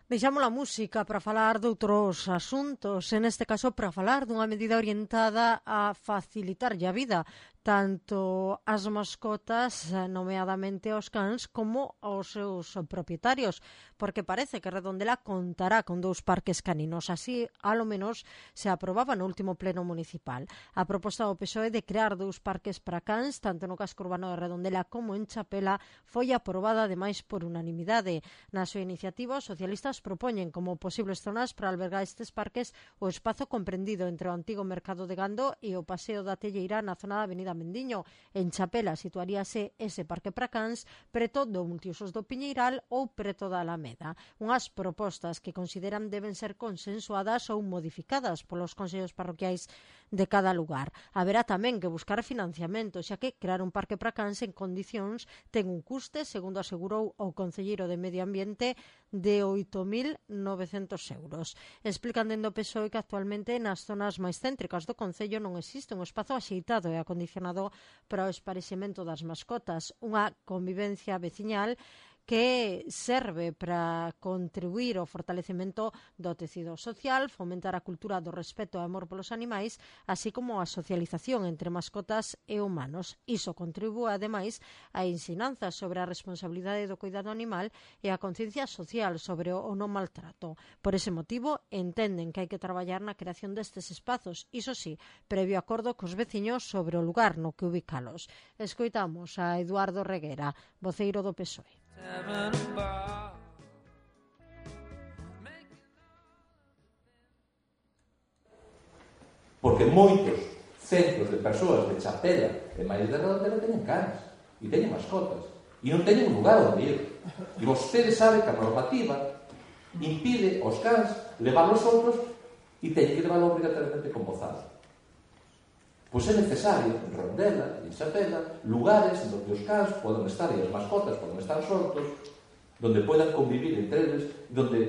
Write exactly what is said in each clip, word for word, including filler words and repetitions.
Deixamos a música para falar de outros asuntos, en este caso para falar dunha medida orientada a facilitarlle a vida tanto ás mascotas, nomeadamente aos cans, como aos seus propietarios, porque parece que Redondela contará con dous parques caninos. Así, alo menos, se aprobaba no último pleno municipal. A proposta do P S O E de crear dous parques para cans, tanto no casco urbano de Redondela como en Chapela, foi aprobada ademais por unanimidade. Na súa iniciativa, os socialistas propoñen como posibles zonas para albergar estes parques o espazo comprendido entre o antigo mercado de gando e o paseo da Telleira na zona da avenida Mendiño. En Chapela situaríase ese parque para cans preto do multiusos do Piñeiral ou preto da Alameda. Unhas propostas que consideran deben ser consensuadas ou modificadas polos consellos parroquiais de cada lugar. Haberá tamén que buscar financiamento, xa que crear un parque para cans en condicións ten un custe, segundo asegurou o concelleiro de Medio Ambiente, de oito mil novecentos euros. Explican dende o P S O E que actualmente nas zonas máis céntricas do concello non existe un espazo axeitado e acondicionado para o esparexemento das mascotas, unha convivencia veciñal que serve para contribuir ao fortalecemento do tecido social, fomentar a cultura do respeto e amor polos animais, así como a socialización entre mascotas e humanos. Iso contribúe, ademais, a ensinanza sobre a responsabilidade do cuidado animal e a conciencia social sobre o non maltrato. Por ese motivo, entenden que hai que traballar na creación destes espazos, iso sí, previo acordo cos veciños sobre o lugar no que ubicalos. Escoitamos a Eduardo Reguera, voceiro do P S O E. Porque moitos centros de persoas de Chapela e máis de Redondela teñen cans e teñen mascotas e non teñen un lugar onde ir. E vostedes saben que a normativa impide aos cans levar os outros e teñen que levarlo obrigatoriamente con bozal. Pois é necesario, en Redondela e en Chapela, lugares onde os cans poden estar e as mascotas poden estar soltos, donde poidan convivir entre eles, donde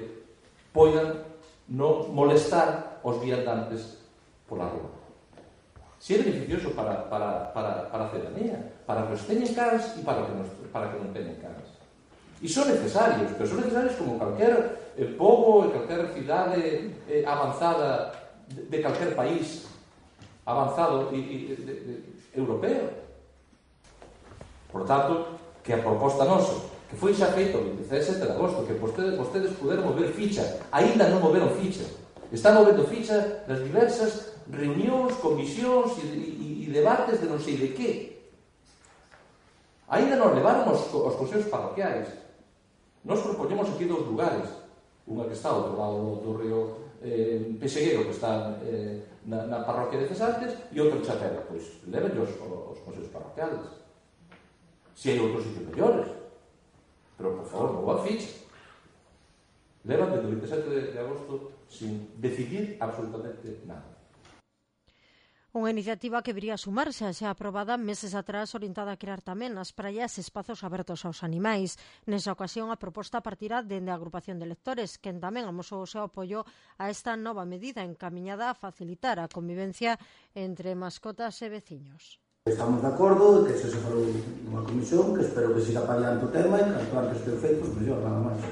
poidan non molestar os viandantes pola rúa. Si é beneficioso para, para, para, para a ciudadanía, para que os teñen cans e para que, nos, para que non teñen cans. E son necesarios, pero son necesarios como calquer eh, pobo e calquer cidade eh, avanzada de, de calquer país avanzado e, e de, de, europeo. Por tanto, que a proposta nosa, que foi xa feito o vinte e sete de agosto, que vostedes, vostedes puderon mover ficha, aínda non moveron ficha. Están movendo ficha nas diversas reunións, comisións e, e, e debates de non sei de que. Aínda non levaron os, os consellos parroquiais. Nos propoñemos aquí dous lugares, unha que está ao outro lado do río eh, Peseguero, que está eh, na, na parroquia de Cesantes, e outro en Chapela. Pois leven os, os consellos parroquiales. Se hai outros sitios mellores. Pero, por favor, non vou a ficha. Levan desde o vinte e sete de agosto sin decidir absolutamente nada. Unha iniciativa que viría a sumarse a xa aprobada meses atrás, orientada a crear tamén nas praias espazos abertos aos animais. Nesa ocasión, a proposta partirá dende a agrupación de lectores, quen tamén amosou o seu apoio a esta nova medida encamiñada a facilitar a convivencia entre mascotas e veciños. Estamos de acordo que se se falou nunha comisión, que espero que siga paliando o tema e canto antes que o feito, pois mellor, nada máis.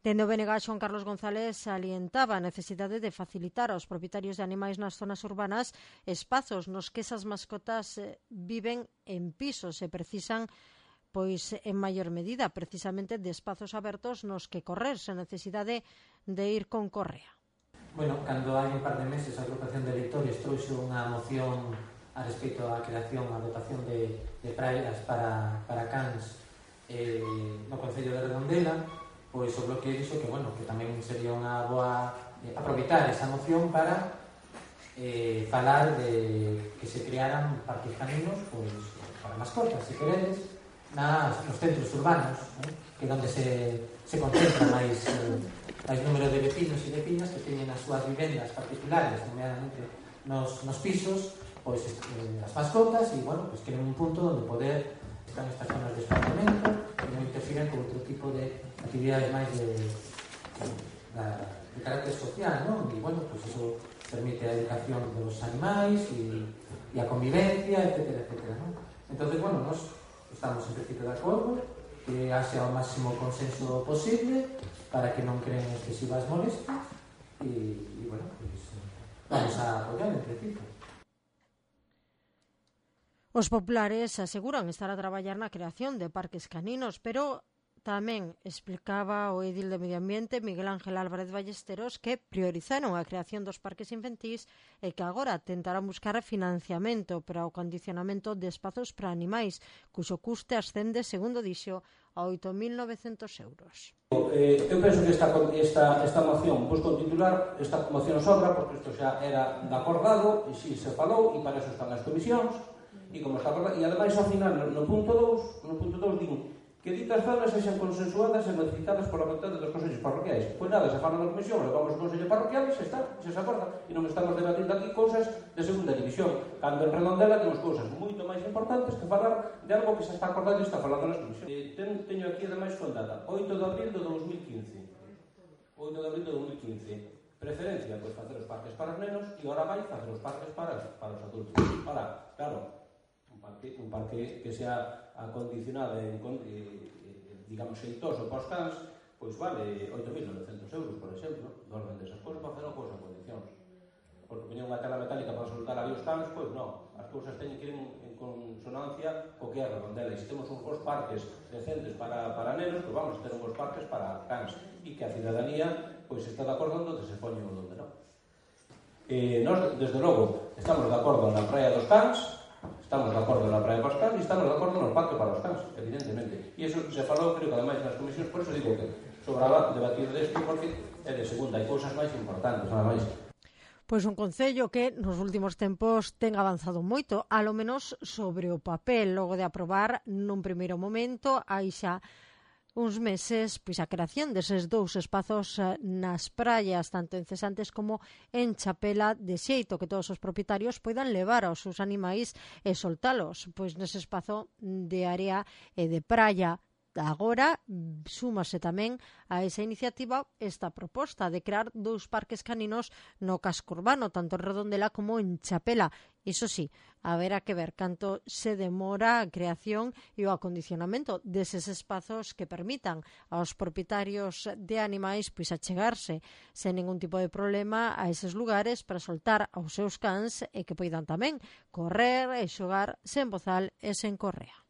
Dende o B N G, Xoan Carlos González salientaba a necesidade de facilitar aos propietarios de animais nas zonas urbanas espazos nos que esas mascotas viven en pisos e precisan, pois en maior medida, precisamente de espazos abertos nos que correr sen necesidade de ir con correa. Bueno, cando hai un par de meses a agrupación de leitores trouxe unha moción a respecto á creación, a dotación de, de praias para, para cans eh, no Concello de Redondela, pois o bloque dixo que, bueno, que tamén sería unha boa eh, aproveitar esa moción para eh, falar de que se crearan parques caninos, pois, para mascotas, se queredes, nas, nos centros urbanos, eh, que onde se, se concentra máis, eh, máis número de vecinos e vecinas que teñen as súas vivendas particulares, nomeadamente nos, nos pisos, pois eh, as mascotas, e, bueno, pois queren un punto onde poder estar nestas zonas de espaciamento e non interfiren con outro tipo de actividades máis de, de, de carácter social, non? E, bueno, pues eso permite a educación dos animais e, e a convivencia, etcétera, etcétera, non? Entonces, bueno, nos estamos en principio de acordo que haxa o máximo consenso posible para que non creen excesivas molestias e, e bueno, pues, vamos a apoiar en principio. Os populares aseguran estar a traballar na creación de parques caninos, pero tamén explicaba o edil de Medio Ambiente, Miguel Ángel Álvarez Ballesteros, que priorizaron a creación dos parques infantís e que agora tentarán buscar financiamento para o condicionamento de espazos para animais, cuxo custe ascende, segundo dixo, a oito mil novecentos euros. Eh, eu penso que esta, esta, esta moción, pois con titular, esta moción sobra, porque isto xa era de acordado, e si se falou, e para eso están as comisións, e como está acordado, e ademais ao final, no, no punto dous, no punto dous din que ditas zonas sexan consensuadas e modificadas por la vontade dos consellos parroquiais. Pois nada, se fala na comisión, levamos o consello parroquial e xa está, xa se acorda, e non estamos debatindo aquí cousas de segunda división, cando en Redondela temos cousas moito máis importantes que falar de algo que se está acordado e está falando nas comisións. Eh, ten, teño aquí ademais con data, oito de abril de dos mil quince. oito de abril de dos mil quince. Preferencia, pois facer os parques para os nenos e ahora vai facer os parques para, para os adultos. Ahora, claro, un parque, un parque que sea acondicionado e, eh, digamos, xeitoso para os cans, pois vale oito mil novecentos euros, por exemplo, do orden desas cousas para facer cousas en condicións. Porque poñer unha tela metálica para soltar ali os cans, pois non, as cousas teñen que ir en, en consonancia co que é a Redondela, e se temos uns bons parques decentes para, para nenos, pois vamos a ter uns bons parques para cans, e que a cidadanía pois está de acordo onde se poñe ou onde non. Eh, nós, desde logo, estamos de acordo na praia dos cans, estamos de acordo na praia dos cans e estamos de acordo no parque para os cans, evidentemente. E iso se falou, creo que ademais nas comisións, por eso digo que sobraba debatir desto, porque é de segunda, hai cousas máis importantes, nada máis. Pois un concello que nos últimos tempos ten avanzado moito, alo menos sobre o papel, logo de aprobar nun primeiro momento, aí xa uns meses, pois a creación deses dous espazos nas praias, tanto en Cesantes como en Chapela, de xeito que todos os propietarios poidan levar aos seus animais e soltalos, pois nese espazo de área e de praia. Agora súmase tamén a esa iniciativa esta proposta de crear dous parques caninos no casco urbano, tanto en Redondela como en Chapela. Iso sí, haberá que ver canto se demora a creación e o acondicionamento deses espazos que permitan aos propietarios de animais pois achegarse sen ningún tipo de problema a eses lugares para soltar aos seus cans e que poidan tamén correr e xogar sen bozal e sen correa.